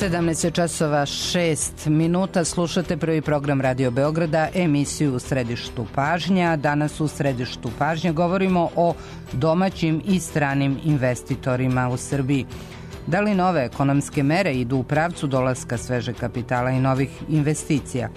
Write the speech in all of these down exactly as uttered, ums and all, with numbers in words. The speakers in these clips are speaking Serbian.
sedamnaest časova šest minuta, slušate prvi program Radio Beograda, emisiju U središtu pažnja. Danas u središtu pažnja govorimo o domaćim i stranim investitorima u Srbiji. Da li nove ekonomske mere idu u pravcu dolaska svežeg kapitala i novih investicija?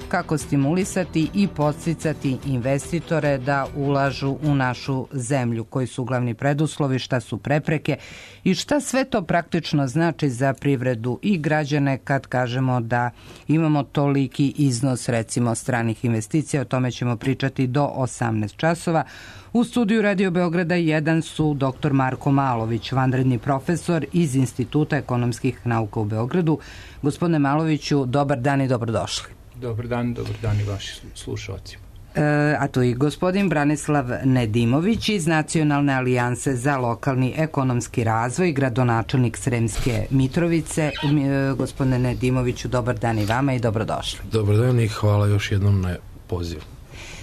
Kako stimulisati i podsticati investitore da ulažu u našu zemlju, koji su glavni preduslovi, šta su prepreke i šta sve to praktično znači za privredu i građane kad kažemo da imamo toliki iznos recimo stranih investicija. O tome ćemo pričati do osamnaest časova. U studiju Radio Beograda jedan su doktor Marko Malović, vanredni profesor iz Instituta ekonomskih nauka u Beogradu. Gospodine Maloviću, dobar dan i dobrodošli. Dobar dan, dobar dan i vaši slušalci. E, a tu i gospodin Branislav Nedimović iz Nacionalne alijanse za lokalni ekonomski razvoj, gradonačelnik Sremske Mitrovice. E, gospodine Nedimoviću, dobar dan i vama i dobrodošli. Dobar dan i hvala još jednom na pozivu.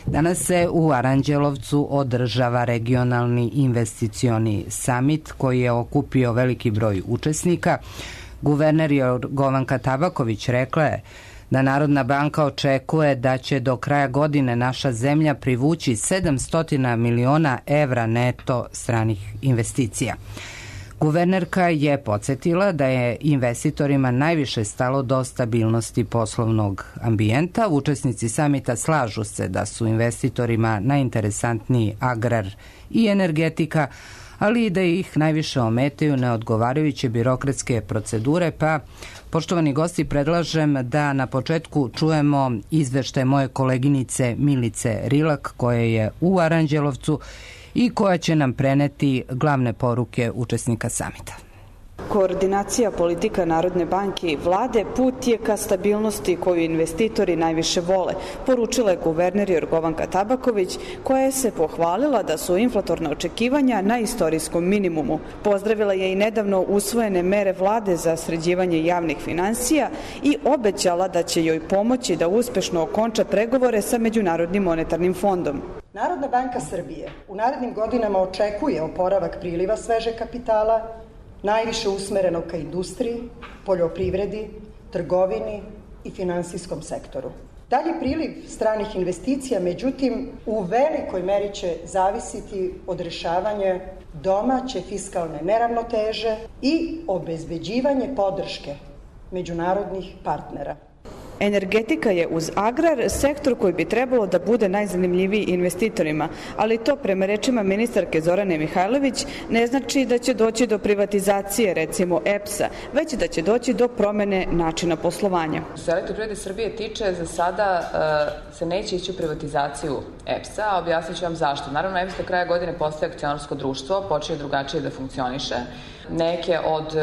Danas se u Aranđelovcu održava regionalni investicioni samit koji je okupio veliki broj učesnika. Guverner Jorgovanka Tabaković rekla je da Narodna banka očekuje da će do kraja godine naša zemlja privući sedamsto miliona evra neto stranih investicija. Guvernerka je podsjetila da je investitorima najviše stalo do stabilnosti poslovnog ambijenta. Učesnici samita slažu se da su investitorima najinteresantniji agrar i energetika, ali i da ih najviše ometaju neodgovarajuće birokratske procedure, pa poštovani gosti, predlažem da na početku čujemo izveštaj moje koleginice Milice Rilak, koja je u Aranđelovcu i koja će nam preneti glavne poruke učesnika samita. Koordinacija politika Narodne banke i vlade put je ka stabilnosti koju investitori najviše vole, poručila je guverner Jorgovanka Tabaković, koja je se pohvalila da su inflatorna očekivanja na istorijskom minimumu. Pozdravila je i nedavno usvojene mere vlade za sređivanje javnih finansija i obećala da će joj pomoći da uspešno okonča pregovore sa Međunarodnim monetarnim fondom. Narodna banka Srbije u narednim godinama očekuje oporavak priliva svežeg kapitala, najviše usmereno ka industriji, poljoprivredi, trgovini i finansijskom sektoru. Dalji priliv stranih investicija, međutim, u velikoj meri će zavisiti od rešavanja domaće fiskalne neravnoteže i obezbeđivanje podrške međunarodnih partnera. Energetika je uz agrar sektor koji bi trebalo da bude najzanimljiviji investitorima, ali to prema rečima ministarke Zorane Mihajlović ne znači da će doći do privatizacije recimo E P S-a, već da će doći do promene načina poslovanja. Što se Elektroprivrede Srbije tiče, za sada uh, se neće ići u privatizaciju E P S-a, a objasnit ću vam zašto. Naravno, E P S do kraja godine postaje akcionarsko društvo, počinje drugačije da funkcioniše. Neke od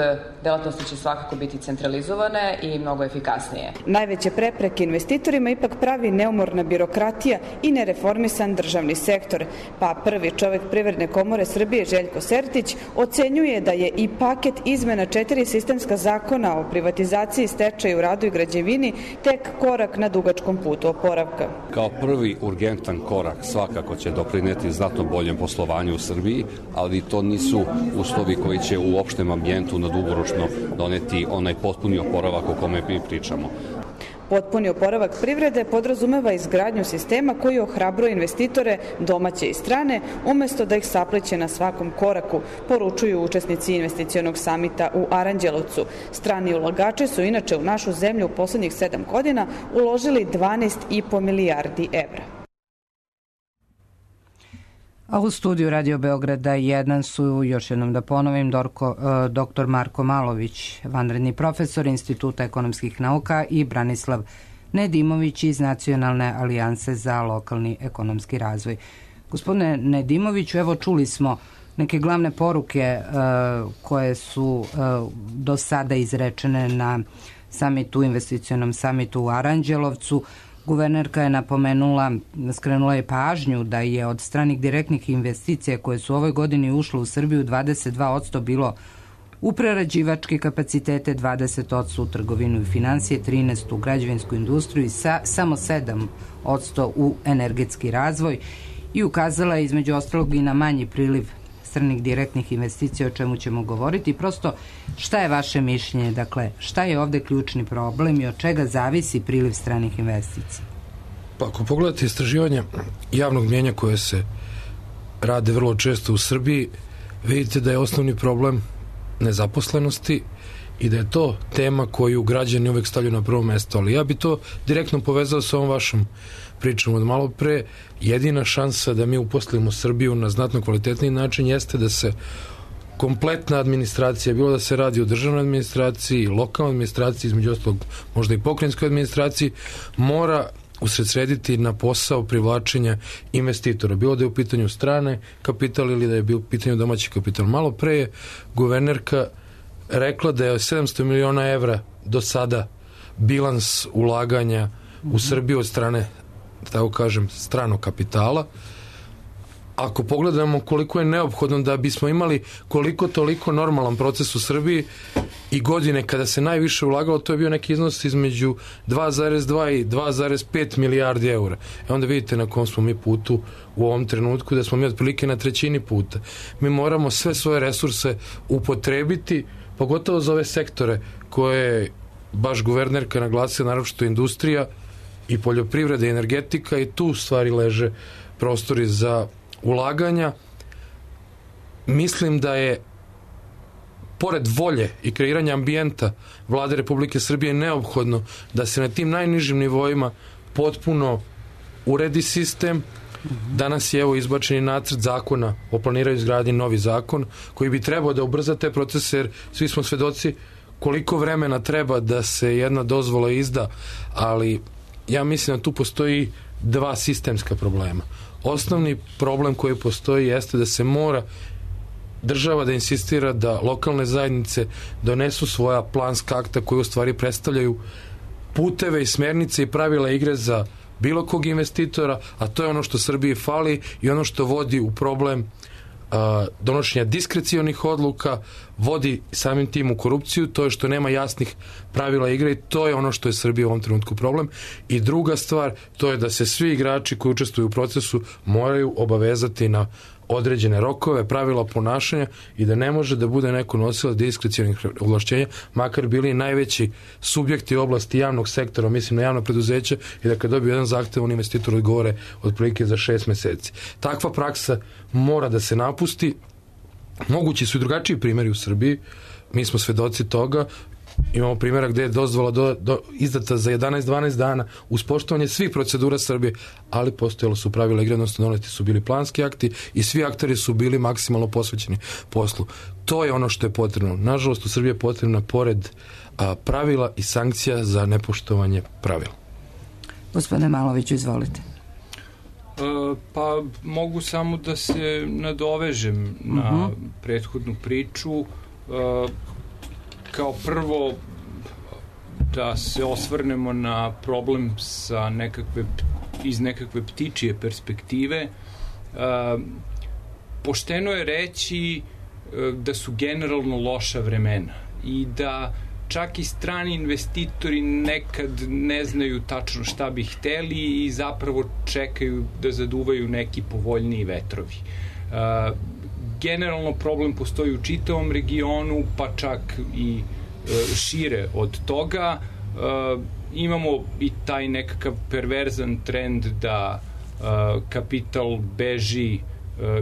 delatnosti će svakako biti centralizovane i mnogo efikasnije. Najveće prepreke investitorima ipak pravi neumorna birokratija i nereformisan državni sektor, pa prvi čovek Privredne komore Srbije Željko Sertić ocenjuje da je i paket izmena četiri sistemska zakona o privatizaciji, stečaju, radu i građevini tek korak na dugačkom putu oporavka. Kao prvi urgentan korak svakako će doprineti znatno boljem poslovanju u Srbiji, ali to nisu uslovi koji će u opštem ambijentu na dugoročno doneti onaj potpuni oporavak o kome mi pričamo. Potpuni oporavak privrede podrazumeva izgradnju sistema koji ohrabruje investitore domaće i strane, umesto da ih sapliće na svakom koraku, poručuju učesnici investicionog samita u Aranđelovcu. Strani ulagači su inače u našu zemlju u poslednjih sedam godina uložili dvanaest i po milijardi evra. A u studiju Radio Beograda jedan su, još jednom da ponovim, Dorko, doktor Marko Malović, vanredni profesor Instituta ekonomskih nauka, i Branislav Nedimović iz Nacionalne alijanse za lokalni ekonomski razvoj. Gospodine Nedimoviću, evo čuli smo neke glavne poruke uh, koje su uh, do sada izrečene na samitu, investicionom samitu u Aranđelovcu. Guvernerka je napomenula, skrenula je pažnju da je od stranih direktnih investicija koje su u ovoj godini ušle u Srbiju dvadeset dva posto bilo u prerađivačke kapacitete, dvadeset posto u trgovinu i finansije, trinaest posto u građevinsku industriju i sa, samo sedam posto u energetski razvoj, i ukazala je između ostalog i na manji priliv stranih direktnih investicija, o čemu ćemo govoriti. Prosto, šta je vaše mišljenje? Dakle, šta je ovde ključni problem i od čega zavisi priliv stranih investicija? Pa ako pogledate istraživanja javnog mnjenja koje se rade vrlo često u Srbiji, vidite da je osnovni problem nezaposlenosti i da je to tema koju građani uvek stavljaju na prvo mesto. Ali ja bi to direktno povezao sa ovom vašom pričom od malo pre. Jedina šansa da mi uposlimo Srbiju na znatno kvalitetniji način jeste da se kompletna administracija, bilo da se radi o državnoj administraciji, lokalnoj administraciji, između ostalog možda i pokrajinskoj administraciji, mora usredsrediti na posao privlačenja investitora. Bilo da je u pitanju strane kapital ili da je bio u pitanju domaći kapital. Malo pre je guvernerka rekla da je sedamsto miliona evra do sada bilans ulaganja u Srbiju od strane, tako kažem, stranog kapitala. Ako pogledamo koliko je neophodno da bismo imali koliko toliko normalan proces u Srbiji i godine kada se najviše ulagalo, to je bio neki iznos između dva zarez dva i dva zarez pet milijardi eura. E onda vidite na kom smo mi putu u ovom trenutku, da smo mi otprilike na trećini puta. Mi moramo sve svoje resurse upotrebiti, pogotovo za ove sektore koje je baš guvernerka naglasila, naročito industrija i poljoprivreda i energetika, i tu stvari leže prostori za ulaganja. Mislim da je pored volje i kreiranja ambijenta Vlade Republike Srbije neophodno da se na tim najnižim nivoima potpuno uredi sistem. Danas je evo izbačeni nacrt zakona o planiranju izgradnje, novi zakon koji bi trebao da ubrza te procese, jer svi smo svedoci koliko vremena treba da se jedna dozvola izda, ali ja mislim da tu postoji dva sistemska problema. Osnovni problem koji postoji jeste da se mora država da insistira da lokalne zajednice donesu svoja planska akta koji u stvari predstavljaju puteve i smernice i pravila igre za bilo kog investitora, a to je ono što Srbiji fali i ono što vodi u problem a, donošenja diskrecionih odluka, vodi samim tim u korupciju, to je što nema jasnih pravila igre i to je ono što je Srbiji u ovom trenutku problem. I druga stvar, to je da se svi igrači koji učestvuju u procesu moraju obavezati na određene rokove, pravila ponašanja i da ne može da bude neko nosilac diskrecionih ovlašćenja, makar bili najveći subjekti u oblasti javnog sektora, mislim na javno preduzeće, i da kad dobiju jedan zahtev, on investitor odgovore otprilike za šest meseci. Takva praksa mora da se napusti. Mogući su i drugačiji primjeri u Srbiji, mi smo svedoci toga. Imamo primjera gde je dozvola do, do, izdata za jedanaest dvanaest dana uz poštovanje svih procedura Srbije, ali postojalo su pravila igre, odnosno doneti su bili planski akti i svi akteri su bili maksimalno posvećeni poslu. To je ono što je potrebno. Nažalost, u Srbiji je potrebna pored a, pravila i sankcija za nepoštovanje pravila. Gospodine Maloviću, izvolite. E, pa mogu samo da se nadovežem na uh-huh. prethodnu priču. E, Kao prvo da se osvrnemo na problem sa nekakve, iz nekakve ptičije perspektive. E, pošteno je reći e, da su generalno loša vremena i da čak i strani investitori nekad ne znaju tačno šta bi hteli i zapravo čekaju da zaduvaju neki povoljniji vetrovi. E, Generalno problem postoji u čitavom regionu, pa čak i e, šire od toga. E, imamo i taj nekakav perverzan trend da e, kapital beži e,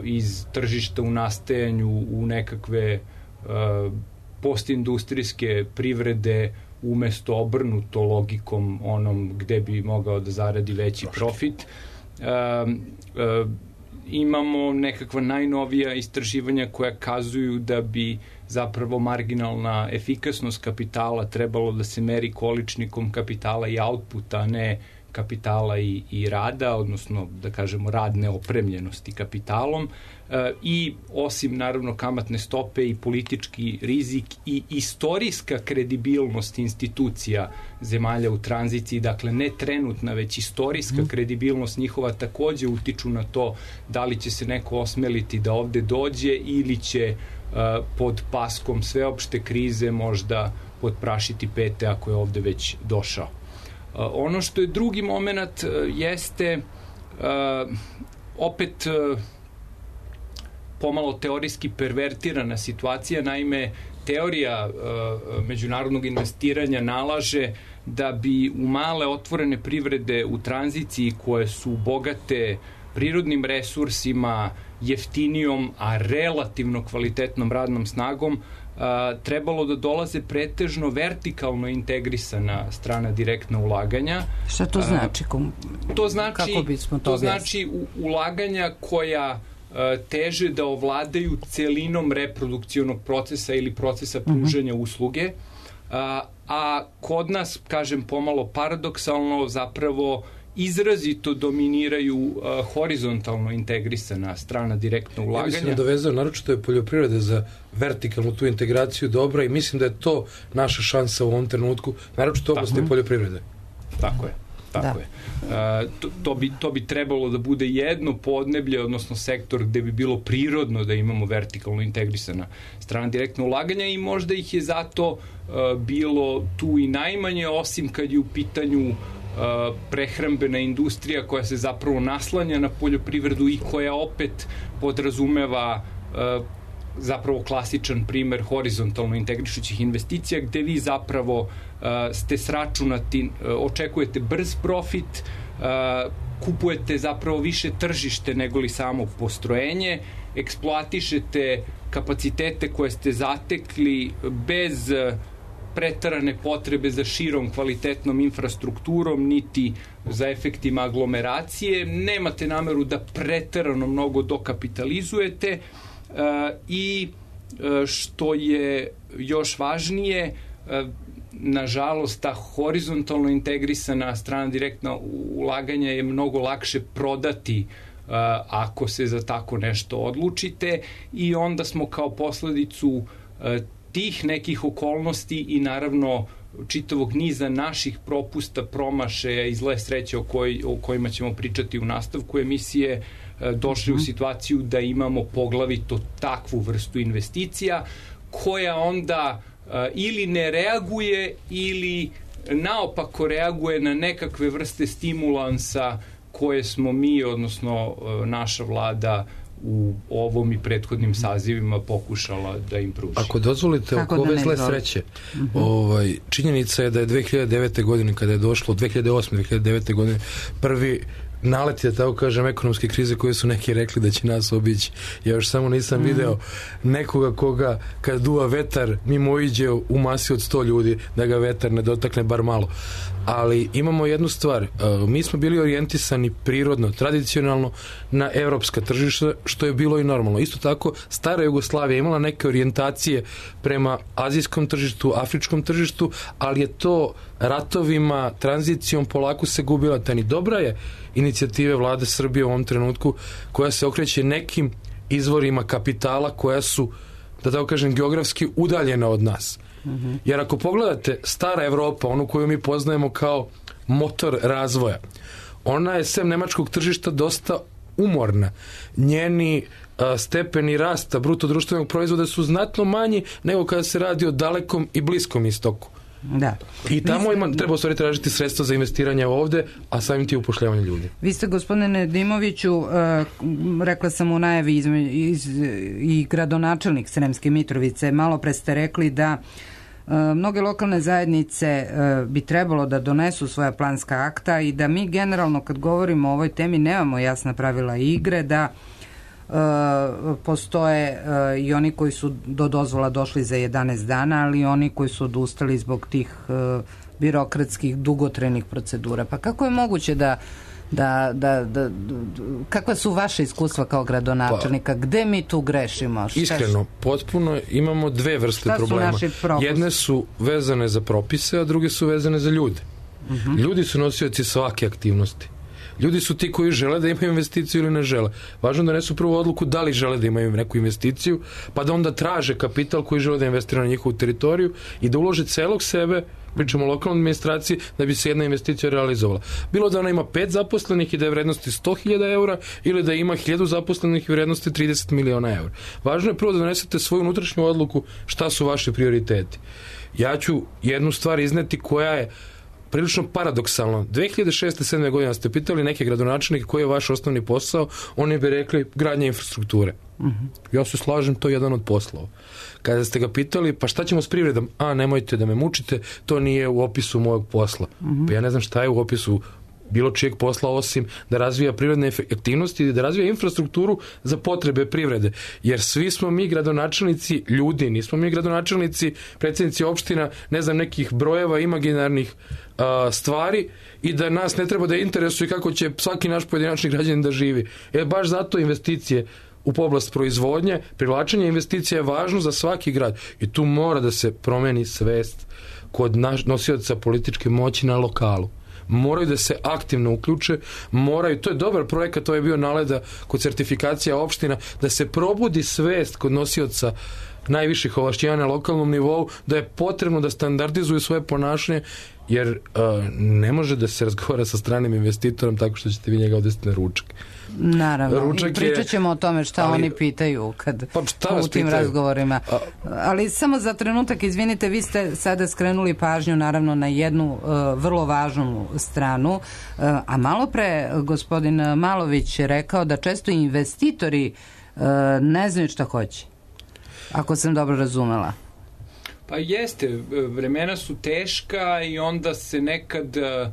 iz tržišta u nastajanju u nekakve e, postindustrijske privrede umesto obrnuto logikom onom gde bi mogao da zaradi veći profit. E, e, Imamo nekakva najnovija istraživanja koja kazuju da bi zapravo marginalna efikasnost kapitala trebalo da se meri količnikom kapitala i outputa, a ne kapitala i, i rada, odnosno da kažemo radne opremljenosti kapitalom. E, I osim naravno kamatne stope i politički rizik i istorijska kredibilnost institucija zemalja u tranziciji, dakle ne trenutna, već istorijska mm. kredibilnost njihova takođe utiču na to da li će se neko osmeliti da ovde dođe ili će uh, pod paskom sveopšte krize možda podprašiti pete ako je ovde već došao. Uh, ono što je drugi moment uh, jeste uh, opet uh, pomalo teorijski pervertirana situacija. Naime, teorija međunarodnog investiranja nalaže da bi u male otvorene privrede u tranziciji koje su bogate prirodnim resursima, jeftinijom, a relativno kvalitetnom radnom snagom, trebalo da dolaze pretežno vertikalno integrisana strana direktna ulaganja. Šta to znači? To znači, Kako bismo to to znači ulaganja koja teže da ovladaju celinom reprodukcionog procesa ili procesa pružanja uh-huh. usluge, a, a kod nas, kažem pomalo paradoksalno, zapravo izrazito dominiraju uh, horizontalno integrisana strana direktna ulaganja. Ja bih se nadovezao, naročito je poljoprivreda za vertikalnu tu integraciju dobra i mislim da je to naša šansa u ovom trenutku, naročito oblasti poljoprivrede. Tako je. Tako da. je. Uh, to, to, bi, to bi trebalo da bude jedno podneblje, odnosno sektor gde bi bilo prirodno da imamo vertikalno integrisana strana direktna ulaganja i možda ih je zato uh, bilo tu i najmanje, osim kad je u pitanju Uh, prehrambena industrija koja se zapravo naslanja na poljoprivredu i koja opet podrazumeva uh, zapravo klasičan primer horizontalno integrišućih investicija gde vi zapravo uh, ste sračunati, uh, očekujete brz profit, uh, kupujete zapravo više tržište nego li samo postrojenje, eksploatišete kapacitete koje ste zatekli bez uh, pretarane potrebe za širom kvalitetnom infrastrukturom, niti za efektima aglomeracije, nemate nameru da pretarano mnogo dokapitalizujete uh, i uh, što je još važnije, uh, nažalost, ta horizontalno integrisana strana direktna ulaganja je mnogo lakše prodati uh, ako se za tako nešto odlučite i onda smo kao posledicu uh, tih nekih okolnosti i naravno čitavog niza naših propusta, promašaja i zle sreće o, koj, o kojima ćemo pričati u nastavku emisije, došli u situaciju da imamo poglavito takvu vrstu investicija koja onda ili ne reaguje ili naopako reaguje na nekakve vrste stimulansa koje smo mi, odnosno naša vlada u ovom i prethodnim sazivima pokušala da im pruži. Ako dozvolite, oko ove zle sreće, uh-huh. ovaj, činjenica je da je dve hiljade devete. godine, kada je došlo, dve hiljade osme. dve hiljade devete. godine, prvi nalet je, tako kažem, ekonomske krize koje su neki rekli da će nas obići. Ja još samo nisam mm. video nekoga koga kad duva vetar mimo iđe u masi od sto ljudi da ga vetar ne dotakne bar malo. Ali imamo jednu stvar, mi smo bili orijentisani prirodno, tradicionalno na evropska tržišta, što je bilo i normalno. Isto tako, stara Jugoslavija imala neke orijentacije prema azijskom tržištu, afričkom tržištu, ali je to ratovima, tranzicijom polako se gubila. Tani dobra je inicijative vlade Srbije u ovom trenutku koja se okreće nekim izvorima kapitala koja su, da tako kažem, geografski udaljena od nas. Mm-hmm. Jer ako pogledate stara Evropa, onu koju mi poznajemo kao motor razvoja, ona je sem nemačkog tržišta dosta umorna. Njeni a, stepeni rasta bruto društvenog proizvoda su znatno manji nego kada se radi o dalekom i bliskom istoku. Da. I tamo ima, treba u stvari tražiti sredstva za investiranje ovde, a samim ti upošljavanje ljudi. Vi ste, gospodine Dimoviću, uh, rekla sam u najavi iz, iz, i gradonačelnik Sremske Mitrovice, malo pre ste rekli da uh, mnoge lokalne zajednice uh, bi trebalo da donesu svoja planska akta i da mi generalno kad govorimo o ovoj temi nemamo jasna pravila igre, da Uh, postoje uh, i oni koji su do dozvola došli za jedanaest dana, ali i oni koji su odustali zbog tih uh, birokratskih dugotrenih procedura. Pa kako je moguće da Da, da, da, kakva su vaše iskustva kao gradonačelnika? Pa, gde mi tu grešimo? Šta iskreno, potpuno imamo dve vrste problema. Jedne su vezane za propise, a druge su vezane za ljude. Uh-huh. Ljudi su nosioci svake aktivnosti. Ljudi su ti koji žele da imaju investiciju ili ne žele. Važno da nesu prvu odluku da li žele da imaju neku investiciju, pa da onda traže kapital koji žele da investira na njihovu teritoriju i da ulože celog sebe, pričamo o lokalnoj administraciji, da bi se jedna investicija realizovala. Bilo da ona ima pet zaposlenih i da je vrednosti sto hiljada eura ili da ima hiljadu zaposlenih i vrednosti trideset miliona eura. Važno je prvo da donesete svoju unutrašnju odluku šta su vaši prioriteti. Ja ću jednu stvar izneti koja je prilično paradoksalno. dve hiljade šeste sedme godine ste pitali neke gradonačelnike koji je vaš osnovni posao, oni bi rekli gradnja infrastrukture. Uh-huh. Ja se slažem, to je jedan od poslova. Kada ste ga pitali, pa šta ćemo s privredom? A, nemojte da me mučite, to nije u opisu mojeg posla. Uh-huh. Pa ja ne znam šta je u opisu bilo čijeg posla osim da razvija privredne aktivnosti i da razvija infrastrukturu za potrebe privrede. Jer svi smo mi gradonačelnici ljudi, nismo mi gradonačelnici, predsjednici opština, ne znam, nekih brojeva imaginarnih a, stvari i da nas ne treba da interesuje kako će svaki naš pojedinačni građanin da živi. E, baš zato investicije u oblast proizvodnje, privlačenje investicija je važno za svaki grad i tu mora da se promeni svest kod nosioca političke moći na lokalu. Moraju da se aktivno uključe, moraju, to je dobar projekat, to je bio naleda kod sertifikacija opština, da se probudi svest kod nosioca najviših ovlašćenja na lokalnom nivou, da je potrebno da standardizuju svoje ponašanje, jer uh, ne može da se razgovara sa stranim investitorom tako što ćete vi njega odvesti na ručak. Naravno, ručak pričat ćemo je, o tome šta ali, oni pitaju kad pa u tim pitaju? razgovorima. A, ali samo za trenutak, izvinite, vi ste sada skrenuli pažnju naravno na jednu uh, vrlo važnu stranu, uh, a malo pre gospodin Malović je rekao da često investitori uh, ne znaju šta hoće. Ako sam dobro razumela. Pa jeste, vremena su teška i onda se nekad uh,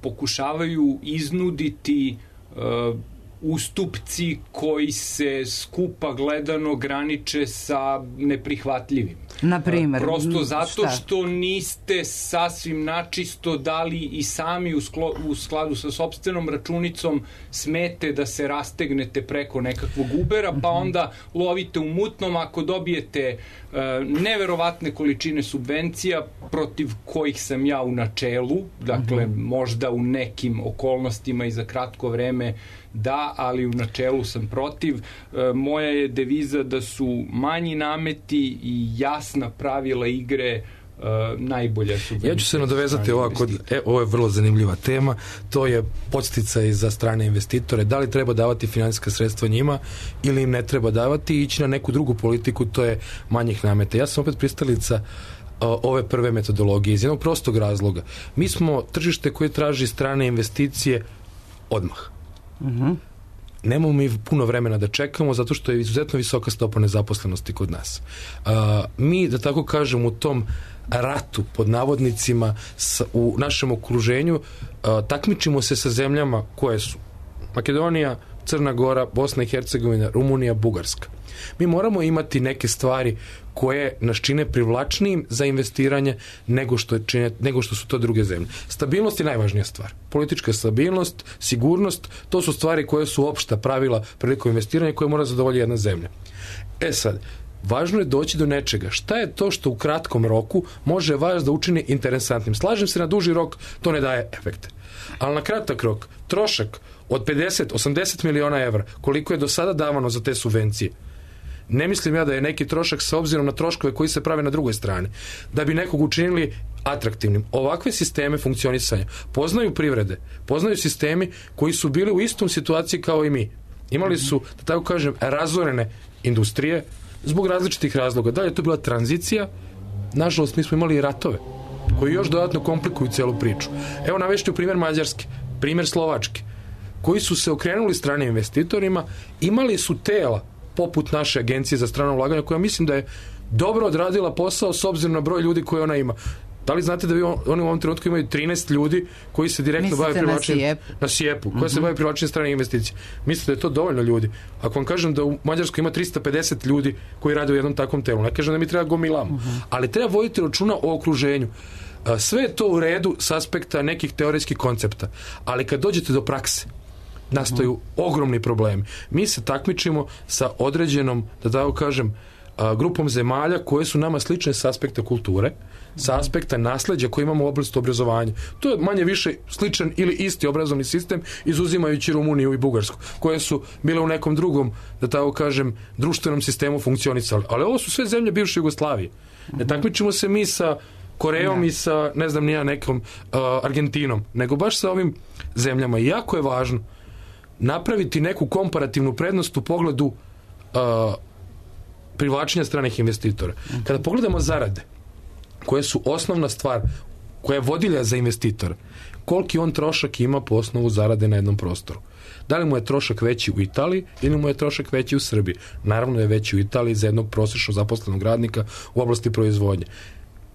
pokušavaju iznuditi uh, ustupci koji se skupa gledano graniče sa neprihvatljivim. Na primer, prosto zato šta? Što niste sasvim načisto dali i sami u, sklo, u skladu sa sopstvenom računicom smete da se rastegnete preko nekakvog Ubera, pa onda lovite u mutnom ako dobijete uh, neverovatne količine subvencija protiv kojih sam ja u načelu, dakle uh-huh. možda u nekim okolnostima i za kratko vreme da, ali u načelu sam protiv. E, moja je deviza da su manji nameti i jasna pravila igre Uh, najbolja subvencija. Ja ću se nadovezati ovako, e, ovo je vrlo zanimljiva tema, to je podsticaj za strane investitore, da li treba davati finansijska sredstva njima ili im ne treba davati i ići na neku drugu politiku, to je manjih nameta. Ja sam opet pristalica uh, ove prve metodologije iz jednog prostog razloga. Mi smo tržište koje traži strane investicije odmah. Mhm. Nemamo mi puno vremena da čekamo zato što je izuzetno visoka stopa nezaposlenosti kod nas. Uh, mi, da tako kažem, u tom ratu, pod navodnicima, s, u našem okruženju, uh, takmičimo se sa zemljama koje su Makedonija, Crna Gora, Bosna i Hercegovina, Rumunija, Bugarska. Mi moramo imati neke stvari koje nas čine privlačnijim za investiranje nego što, čine, nego što su to druge zemlje. Stabilnost je najvažnija stvar. Politička stabilnost, sigurnost, to su stvari koje su opšta pravila prilikom investiranja koje mora zadovoljiti jedna zemlja. E sad, važno je doći do nečega. Šta je to što u kratkom roku može vas da učini interesantnim? Slažem se, na duži rok to ne daje efekte. Ali na kratak rok, trošak od pedeset do osamdeset miliona evra, koliko je do sada davano za te subvencije, ne mislim ja da je neki trošak s obzirom na troškove koji se prave na drugoj strani, da bi nekog učinili atraktivnim. Ovakve sisteme funkcionisanja poznaju privrede, poznaju sistemi koji su bili u istom situaciji kao i mi. Imali su, da tako kažem, razorene industrije zbog različitih razloga. Da li je to bila tranzicija? Nažalost, mi smo imali i ratove koji još dodatno komplikuju celu priču. Evo navešću primjer Mađarske, primjer Slovačke, koji su se okrenuli stranim investitorima, imali su tela poput naše agencije za strano ulaganje, koja mislim da je dobro odradila posao s obzirom na broj ljudi koje ona ima. Da li znate da vi oni u ovom trenutku imaju trinaest ljudi koji se direktno bave privlačenjem na Sijepu, koja uh-huh. se bave privlačenjem stranih investicija. Mislite da je to dovoljno ljudi? Ako vam kažem da u Mađarskoj ima trista pedeset ljudi koji rade u jednom takvom telu, ne kažem da mi treba gomilamo, uh-huh. ali treba voditi računa o okruženju. Sve je to u redu s aspekta nekih teorijskih koncepta, ali kad dođete do prakse, nastaju uh-huh. ogromni problemi. Mi se takmičimo sa određenom, da tako kažem, grupom zemalja koje su nama slične s aspekta kulture, sa aspekta nasleđa koje imamo u oblasti obrazovanja. To je manje više sličan ili isti obrazovni sistem, izuzimajući Rumuniju i Bugarsku, koje su bile u nekom drugom, da tako kažem, društvenom sistemu funkcionisali. Ali ovo su sve zemlje bivše Jugoslavije. Ne takmičimo se mi sa Korejom i sa, ne znam, nija nekom uh, Argentinom, nego baš sa ovim zemljama. I jako je važno napraviti neku komparativnu prednost u pogledu uh, privlačenja stranih investitora. Kada pogledamo zarade, koje su osnovna stvar koja je vodilja za investitora, koliki on trošak ima po osnovu zarade na jednom prostoru. Da li mu je trošak veći u Italiji ili mu je trošak veći u Srbiji? Naravno je veći u Italiji za jednog prosječno zaposlenog radnika u oblasti proizvodnje.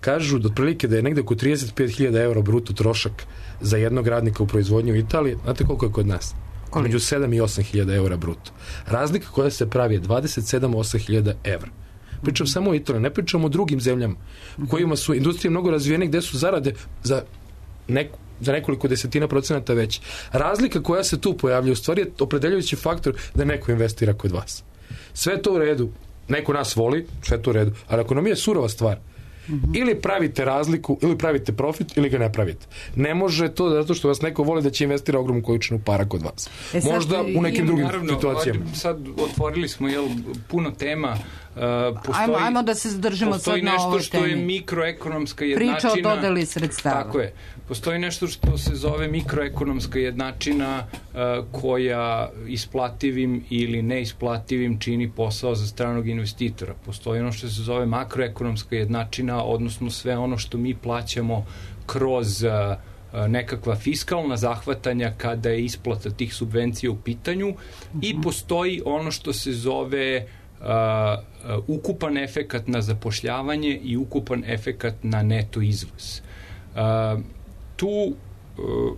Kažu da otprilike da je negde oko trideset pet hiljada eura bruto trošak za jednog radnika u proizvodnji u Italiji. Znate koliko je kod nas? Među sedam i osam hiljada eura bruto. Razlika koja se pravi je dvadeset sedam do osam hiljada evra. Pričam samo o Italiji, ne pričam o drugim zemljama u kojima su industrije mnogo razvijene, gde su zarade za, neku, za nekoliko desetina procenata veće. Razlika koja se tu pojavlja u stvari je opredeljujući faktor da neko investira kod vas. Sve to u redu, neko nas voli, sve to u redu, ali ekonomija je surova stvar. Mm-hmm. Ili pravite razliku, ili pravite profit, ili ga ne pravite. Ne može to zato što vas neko voli da će investira ogromnu količinu para kod vas. E sad, možda u nekim drugim naravno, situacijama. Sad otvorili smo jel, puno tema. Uh, postoji, ajmo, ajmo da se zadržimo sad na ovoj temi. Postoji nešto što je mikroekonomska jednačina. Priča o dodeli sredstava. Tako je. Postoji nešto što se zove mikroekonomska jednačina uh, koja isplativim ili neisplativim čini posao za stranog investitora. Postoji ono što se zove makroekonomska jednačina, odnosno sve ono što mi plaćamo kroz uh, nekakva fiskalna zahvatanja kada je isplata tih subvencija u pitanju. Mm-hmm. I postoji ono što se zove Uh, uh, ukupan efekat na zapošljavanje i ukupan efekat na neto izvoz. Uh, tu uh,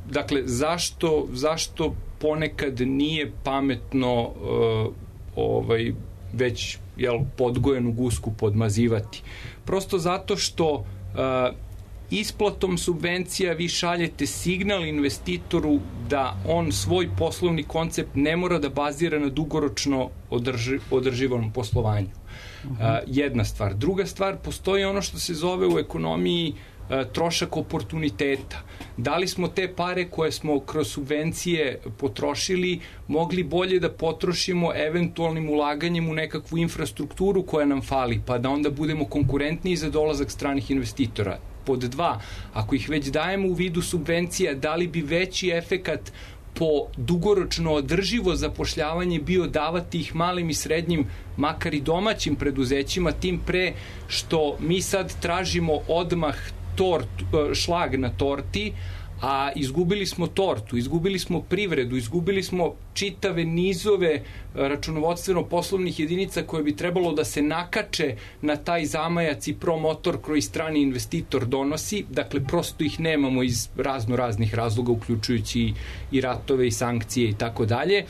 dakle, zašto, zašto ponekad nije pametno uh, ovaj, već jel, podgojenu gusku podmazivati? Prosto zato što uh, isplatom subvencija vi šaljete signal investitoru da on svoj poslovni koncept ne mora da bazira na dugoročno održi, održivom poslovanju. Uh-huh. Uh, jedna stvar. Druga stvar, postoji ono što se zove u ekonomiji uh, trošak oportuniteta. Da li smo te pare koje smo kroz subvencije potrošili mogli bolje da potrošimo eventualnim ulaganjem u nekakvu infrastrukturu koja nam fali, pa da onda budemo konkurentniji za dolazak stranih investitora? Pod dva, ako ih već dajemo u vidu subvencija, da li bi veći efekat po dugoročno održivo zapošljavanje bio davati ih malim i srednjim, makar i domaćim preduzećima, tim pre što mi sad tražimo odmah tort, šlag na torti, a izgubili smo tortu, izgubili smo privredu, izgubili smo čitave nizove računovodstveno-poslovnih jedinica koje bi trebalo da se nakače na taj zamajac i promotor koji strani investitor donosi. Dakle, prosto ih nemamo iz razno raznih razloga, uključujući i ratove i sankcije i tako dalje.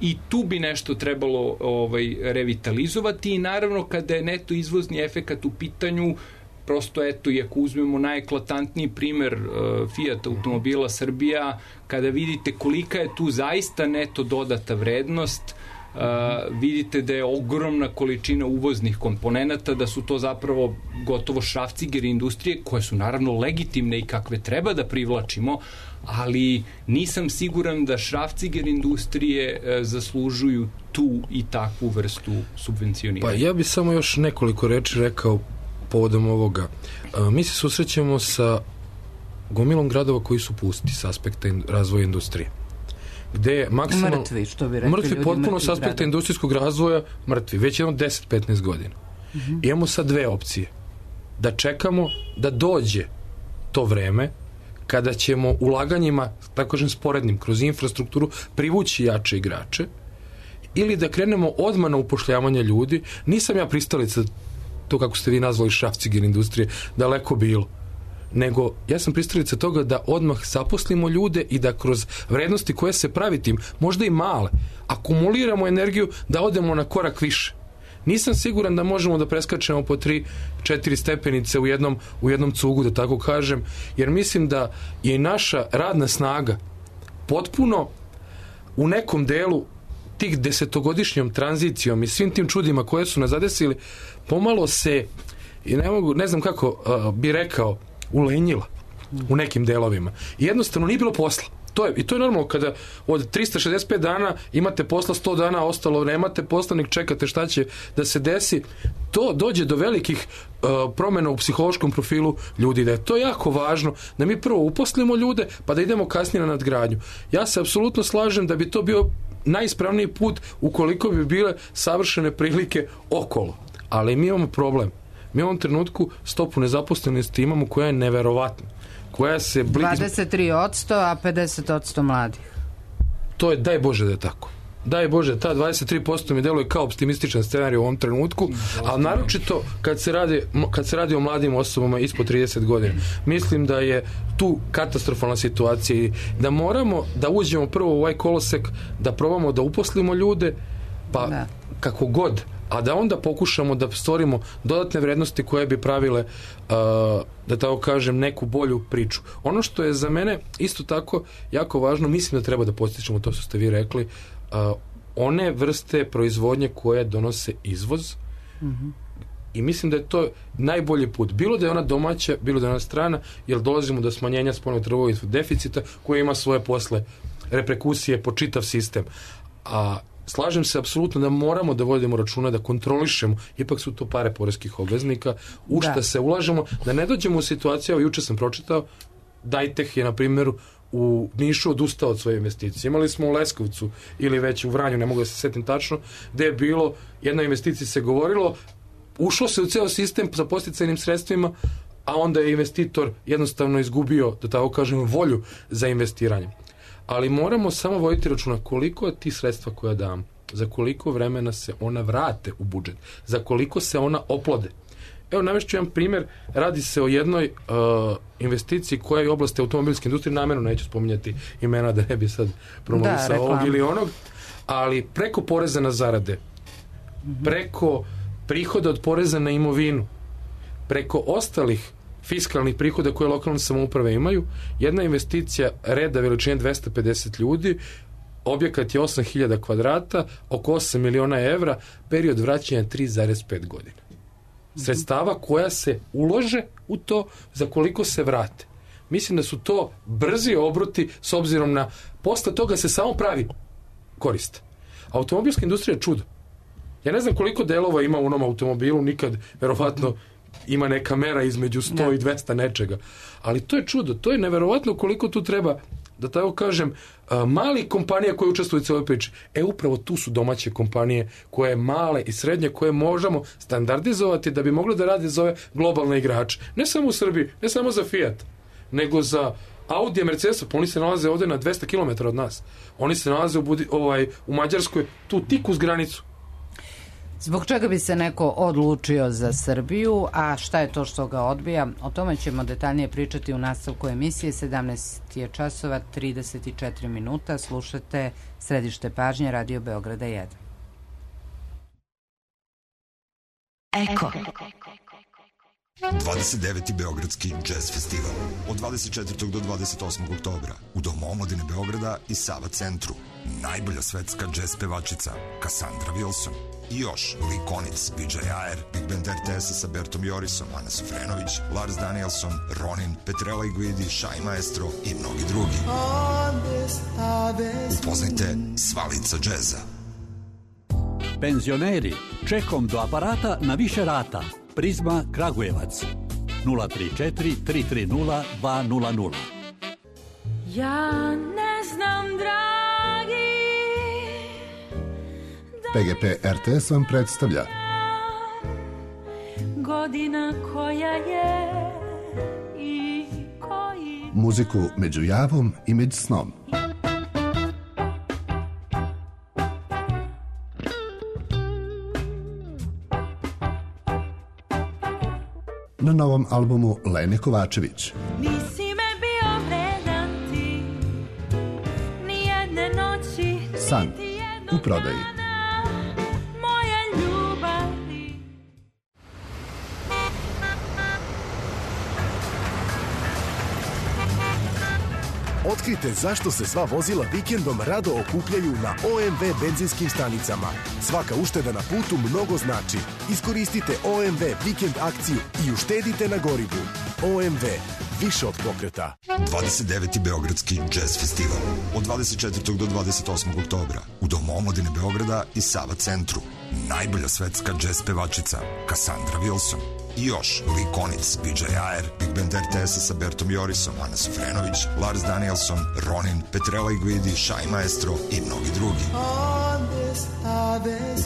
I tu bi nešto trebalo ovaj, revitalizovati i naravno kada je neto izvozni efekat u pitanju, prosto eto, i ako uzmemo najeklatantniji primer uh, Fiat automobila Srbija, kada vidite kolika je tu zaista neto dodata vrednost, uh, vidite da je ogromna količina uvoznih komponenata, da su to zapravo gotovo šrafcigeri industrije, koje su naravno legitimne i kakve treba da privlačimo, ali nisam siguran da šrafciger industrije uh, zaslužuju tu i takvu vrstu subvencioniranja. Pa ja bih samo još nekoliko reči rekao povodom ovoga. Mi se susrećemo sa gomilom gradova koji su pusti s aspekta razvoja industrije. Gde je maksimalno... Mrtvi, što bi rekli mrtvi ljudi. Potpuno Mrtvi s aspekta grada. Industrijskog razvoja mrtvi. Već jedno deset do petnaest godina. Uh-huh. Imamo sad dve opcije. Da čekamo da dođe to vreme kada ćemo ulaganjima, tako kažem sporednim, kroz infrastrukturu privući jače igrače, ili da krenemo odmah na upošljavanje ljudi. Nisam ja pristalica to kako ste vi nazvali šrafciger industrije, daleko bilo. Nego, ja sam pristalica toga da odmah zaposlimo ljude i da kroz vrednosti koje se pravi tim, možda i male, akumuliramo energiju da odemo na korak više. Nisam siguran da možemo da preskačemo po tri, četiri stepenice u jednom, u jednom cugu, da tako kažem, jer mislim da je i naša radna snaga potpuno u nekom delu tih desetogodišnjom tranzicijom i svim tim čudima koje su nas zadesili, pomalo se, i ne mogu, ne znam kako uh, bi rekao, ulenjila u nekim delovima. I jednostavno nije bilo posla. To je, i to je normalno kada od trista šezdeset pet dana imate posla, sto dana ostalo nemate posla, nek čekate šta će da se desi. To dođe do velikih uh, promjena u psihološkom profilu ljudi. Da je to jako važno da mi prvo uposlimo ljude pa da idemo kasnije na nadgradnju. Ja se apsolutno slažem da bi to bio najispravniji put ukoliko bi bile savršene prilike okolo. Ali mi imamo problem. Mi u ovom trenutku stopu nezaposlenosti imamo koja je neverovatna, koja se... dvadeset tri posto, a pedeset posto mladih. To je, daj Bože da je tako. Daj Bože, ta dvadeset tri posto mi deluje kao optimističan scenarij u ovom trenutku, ali naročito kad se radi, kad se radi o mladim osobama ispod trideset godina. Mislim da je tu katastrofalna situacija i da moramo da uđemo prvo u ovaj kolosek, da probamo da uposlimo ljude, pa da. Kako god, a da onda pokušamo da stvorimo dodatne vrednosti koje bi pravile, uh, da tako kažem, neku bolju priču. Ono što je za mene isto tako jako važno, mislim da treba da postičemo to što ste vi rekli, uh, one vrste proizvodnje koje donose izvoz, mm-hmm. i mislim da je to najbolji put. Bilo da je ona domaća, bilo da je ona strana, jer dolazimo do smanjenja spoljnotrgovinskog deficita koje ima svoje posle reperkusije po čitav sistem. A slažem se apsolutno da moramo da vodimo računa, da kontrolišemo, ipak su to pare poreskih obveznika, u šta se ulažemo, da ne dođemo u situaciju, juče sam pročitao, Dajteh je, na primjer, u Nišu odustao od svoje investicije. Imali smo u Leskovcu ili već u Vranju, ne mogu da se setim tačno, gde je bilo, jedna investicija se govorilo, ušlo se u ceo sistem sa posticajnim sredstvima, a onda je investitor jednostavno izgubio, da tako kažem, volju za investiranje. Ali moramo samo voditi računa koliko je ti sredstva koja dam, za koliko vremena se ona vrate u budžet, za koliko se ona oplode. Evo, navešću jedan primjer, radi se o jednoj uh, investiciji koja je u oblasti automobilske industrije, namjerno neću spominjati imena da ne bi sad promovisao ovog ili onog, ali preko poreza na zarade, mm-hmm. preko prihoda od poreza na imovinu, preko ostalih fiskalnih prihoda koje lokalne samouprave imaju, jedna investicija reda veličine dvesta pedeset ljudi, objekat je osam hiljada kvadrata, oko osam miliona evra, period vraćanja tri zarez pet godina. Sredstava koja se ulože u to, za koliko se vrate. Mislim da su to brzi obruti s obzirom na posle toga se samo pravi korist. Automobilska industrija je čudo. Ja ne znam koliko delova ima u onom automobilu, nikad verovatno ima neka mera između sto i dvesta nečega. Ali to je čudo, to je neverovatno koliko tu treba, da tako kažem, mali kompanija koje učestvuju u cijeloj priči. E, upravo tu su domaće kompanije koje male i srednje, koje možemo standardizovati da bi mogli da rade za ove globalne igrače. Ne samo u Srbiji, ne samo za Fiat, nego za Audi i Mercedesa, pa oni se nalaze ovde na dvesta kilometara od nas. Oni se nalaze u, Budi, ovaj, u Mađarskoj, tu tik uz granicu. Zbog čega bi se neko odlučio za Srbiju, a šta je to što ga odbija? O tome ćemo detaljnije pričati u nastavku emisije. sedamnaest je časova, trideset četiri minuta. Slušate Središte pažnje, Radio Beograda jedan. Eko. dvadeset deveti Beogradski jazz festival od dvadeset četvrtog do dvadeset osmog oktobra u Domu omladine Beograda i Sava centru. Najbolja svetska jazz pevačica Cassandra Wilson i još Lee Konitz, B J Ayer, Big Band R T S sa Bertom Jorisom, Ana Sufrenović, Lars Danielson, Ronin, Petrella Iguidi, Shai Maestro i mnogi drugi. Upoznajte sva lica džeza. Penzioneri, čekom do aparata na više rata. Prizma Kragujevac nula tri četiri tri tri nula dva nula nula. Ja ne znam, dragi, P G P R T S vam predstavlja godina koja je i koji muziku među javom i među snom. Na novom albumu Lene Kovačević. Nisi me bio vredan ti, ni jedne noći, San u prodaji. Moja ljubavi. Otkrite zašto se sva vozila vikendom rado okupljaju na O M V benzinskim stanicama. Svaka ušteda na putu mnogo znači. Iskoristite O M V vikend akciju i uštedite na gorivu. O M V, više od pokreta. dvadeset deveti Beogradski jazz festival od dvadeset četvrtog do dvadeset osmog oktobra u Domu omladine Beograda i Sava centru. Najbolja svetska jazz pevačica Cassandra Wilson i još Lee Konitz, B J Ayer, Big Band R T S sa Bertom Jorisom, Ana Sufrenović, Lars Danielson, Ronin, Petrella Iguidi, Shai Maestro i mnogi drugi.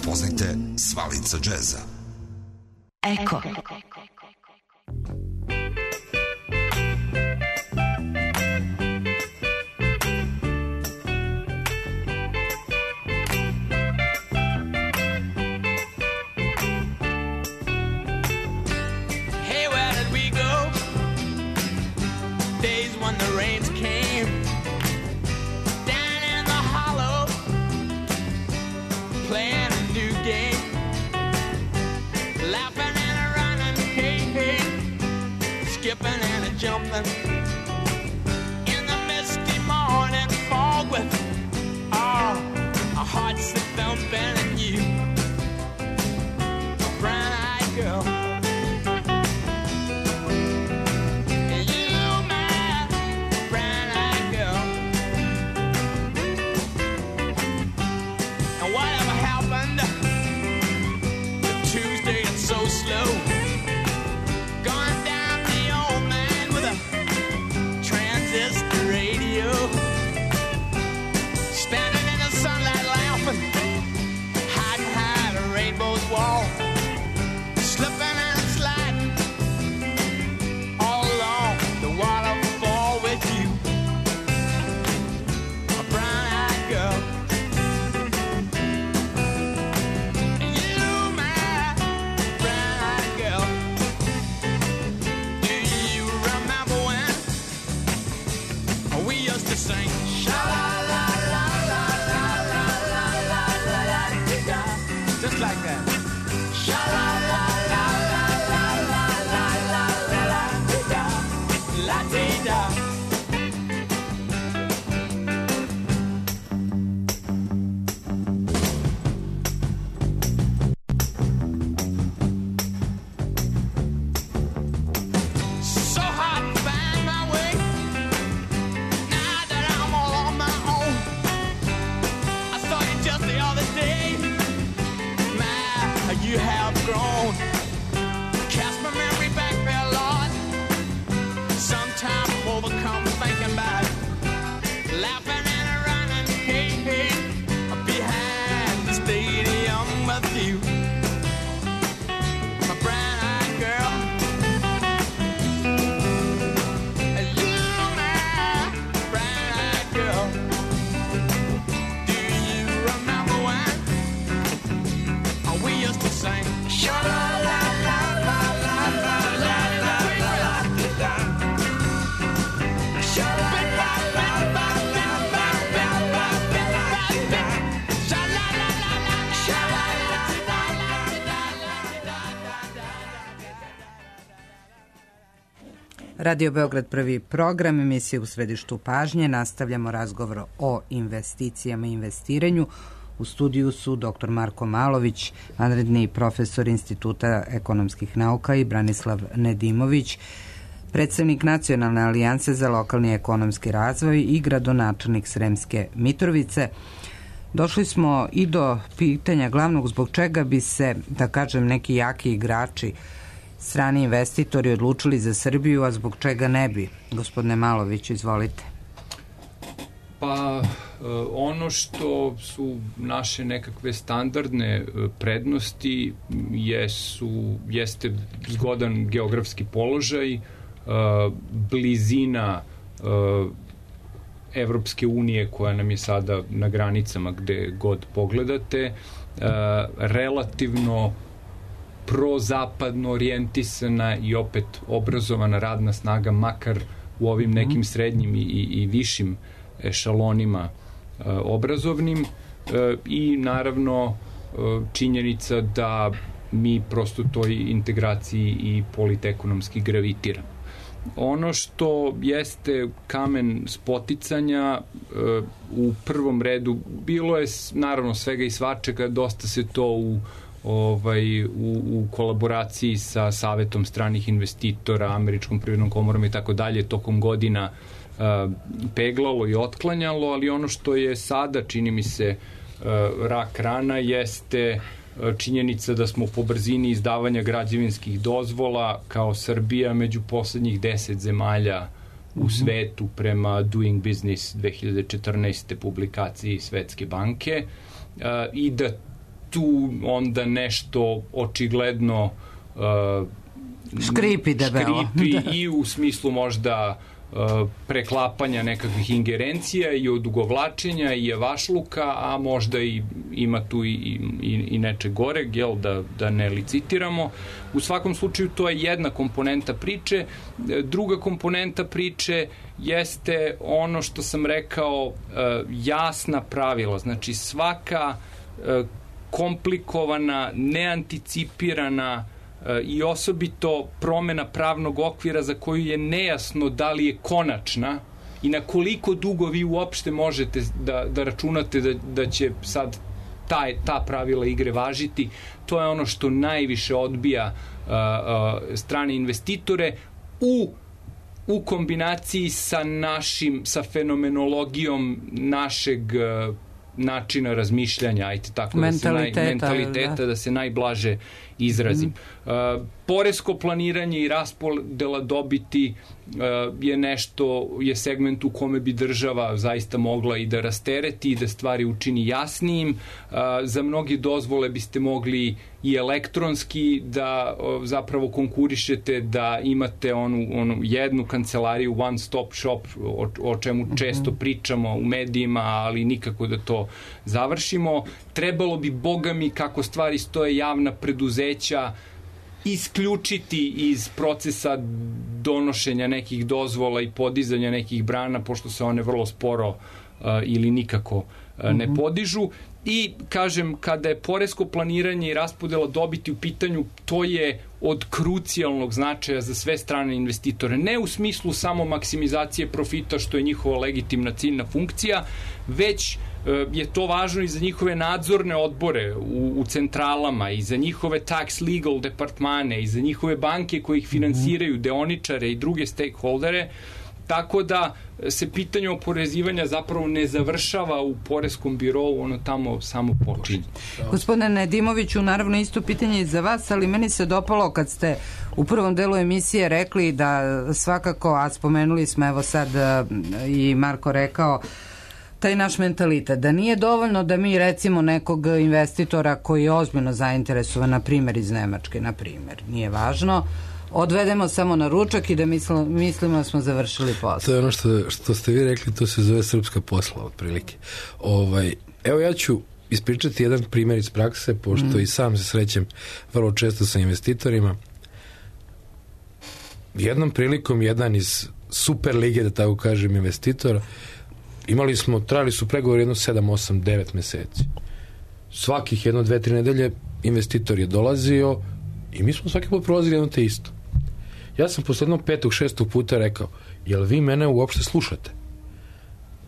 Upoznajte sva lica džeza. Eko. when the rains came down in the hollow, playing a new game, laughing and a running, hey, hey, skipping and a jumping in the misty morning fog with oh, our hearts that thumping and you, a brown-eyed girl. So slow, going down the old man with a transistor radio, standing in the sunlight laughing, hiding behind a rainbow's wall, slipping and sliding all along the waterfall with you, a brown-eyed girl. Sing. Just like that. La-dee-da. So hard to find my way. You have grown. Cast my memory back there, Lord. Sometimes I'm overcome thinking about it. Laughing and a running, hey, hey, behind the stadium with you. My brown-eyed girl. You, my brown-eyed girl. Do you remember when we used to sing? Radio Beograd prvi program, emisije u središtu pažnje. Nastavljamo razgovor o investicijama i investiranju. U studiju su dr Marko Malović, vanredni profesor Instituta ekonomskih nauka, i Branislav Nedimović, predstavnik Nacionalne alijanse za lokalni ekonomski razvoj i gradonačelnik Sremske Mitrovice. Došli smo i do pitanja glavnog, zbog čega bi se, da kažem, neki jaki igrači, strani investitori odlučili za Srbiju, a zbog čega ne bi? Gospodine Malović, izvolite. Pa ono što su naše nekakve standardne prednosti jesu, jeste zgodan geografski položaj, blizina Evropske unije koja nam je sada na granicama gde god pogledate, relativno prozapadno orijentisana i opet obrazovana radna snaga, makar u ovim nekim srednjim i, i višim ešalonima e, obrazovnim, e, i naravno e, činjenica da mi prosto toj integraciji i politekonomski gravitiramo. Ono što jeste kamen spoticanja, e, u prvom redu bilo je naravno svega i svačega, dosta se to u ovaj, u, u kolaboraciji sa Savetom stranih investitora, Američkom privrednom komorom i tako dalje tokom godina uh, peglalo i otklanjalo, ali ono što je sada, čini mi se, uh, rak rana jeste uh, činjenica da smo po brzini izdavanja građevinskih dozvola kao Srbija među poslednjih deset zemalja u mm-hmm. svetu prema Doing Business dve hiljade četrnaeste publikaciji Svetske banke, uh, i da tu onda nešto očigledno uh, škripi debelo. Škripi i u smislu možda preklapanja nekakvih ingerencija i odugovlačenja i javašluka, a možda i ima tu i, i, i nečeg goreg, jel, da, da ne licitiramo. U svakom slučaju to je jedna komponenta priče. Druga komponenta priče jeste ono što sam rekao, jasna pravila. Znači svaka komplikovana, neanticipirana i osobito promena pravnog okvira za koju je nejasno da li je konačna i na koliko dugo vi uopšte možete da, da računate da, da će sad taj, ta pravila igre važiti, to je ono što najviše odbija uh, uh, strane investitore u u kombinaciji sa našim, sa fenomenologijom našeg uh, načina razmišljanja, ajte tako, mentaliteta, da se, naj, mentaliteta da. da se najblaže izrazim. Mm. Uh, poresko planiranje i raspodela dobiti uh, je nešto, je segment u kome bi država zaista mogla i da rastereti i da stvari učini jasnijim. Uh, za mnogi dozvole biste mogli i elektronski da uh, zapravo konkurišete, da imate onu, onu jednu kancelariju, one stop shop, o, o čemu mm-hmm. često pričamo u medijima, ali nikako da to završimo. Trebalo bi, boga mi, kako stvari stoje, javna preduzeća isključiti iz procesa donošenja nekih dozvola i podizanja nekih brana, pošto se one vrlo sporo uh, ili nikako uh, ne podižu. I, kažem, kada je poresko planiranje i raspodela dobiti u pitanju, to je od krucijalnog značaja za sve strane investitore. Ne u smislu samo maksimizacije profita, što je njihova legitimna ciljna funkcija, već je to važno i za njihove nadzorne odbore u, u centralama, i za njihove tax legal departmane, i za njihove banke koji ih finansiraju, deoničare i druge stakeholdere, tako da se pitanje oporezivanja zapravo ne završava u poreskom birovu, ono tamo samo počinje. Gospodine Nedimoviću, naravno isto pitanje i za vas, ali meni se dopalo kad ste u prvom delu emisije rekli da svakako, a spomenuli smo, evo sad i Marko rekao, taj naš mentalitet, da nije dovoljno da mi recimo nekog investitora koji je ozbiljno zainteresovan, na primjer iz Nemačke, na primjer, nije važno, odvedemo samo na ručak i da mislimo, mislimo da smo završili posao. To je ono što, što ste vi rekli, to se zove srpska posla, otprilike. Ovaj, evo ja ću ispričati jedan primjer iz prakse, pošto mm. i sam se srećem vrlo često sa investitorima. Jednom prilikom jedan iz super lige, da tako kažem, investitora, imali smo, trajali su pregovori jedno sedam, osam, devet meseci. Svakih jedno, dve, tri nedelje investitor je dolazio i mi smo svaki put prolazili jedno te isto. Ja sam posle jednog petog, šestog puta rekao, jel vi mene uopšte slušate?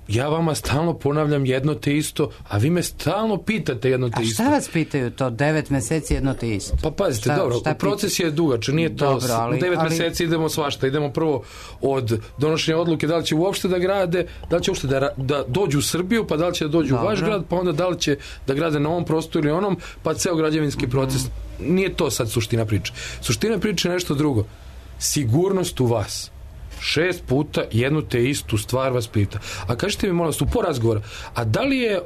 Ja vama stalno ponavljam jedno te isto, a vi me stalno pitate jedno te isto. A šta vas pitaju to? Devet meseci jedno te isto? Pa pazite, šta, dobro, šta proces je dugač, nije to, dobro, ali, u devet ali... meseci idemo svašta, idemo prvo od donošenja odluke da li će uopšte da grade, da li će uopšte da, da dođu u Srbiju, pa da li će da dođu dobro. u vaš grad, pa onda da li će da grade na ovom prostoru ili onom, pa ceo građevinski proces. Mm. Nije to sad suština priče. Suština priče je nešto drugo. Sigurnost u vas. Šest puta jednu te istu stvar vas pita. A kažete mi, molim vas, u po razgovora, a da li je, uh,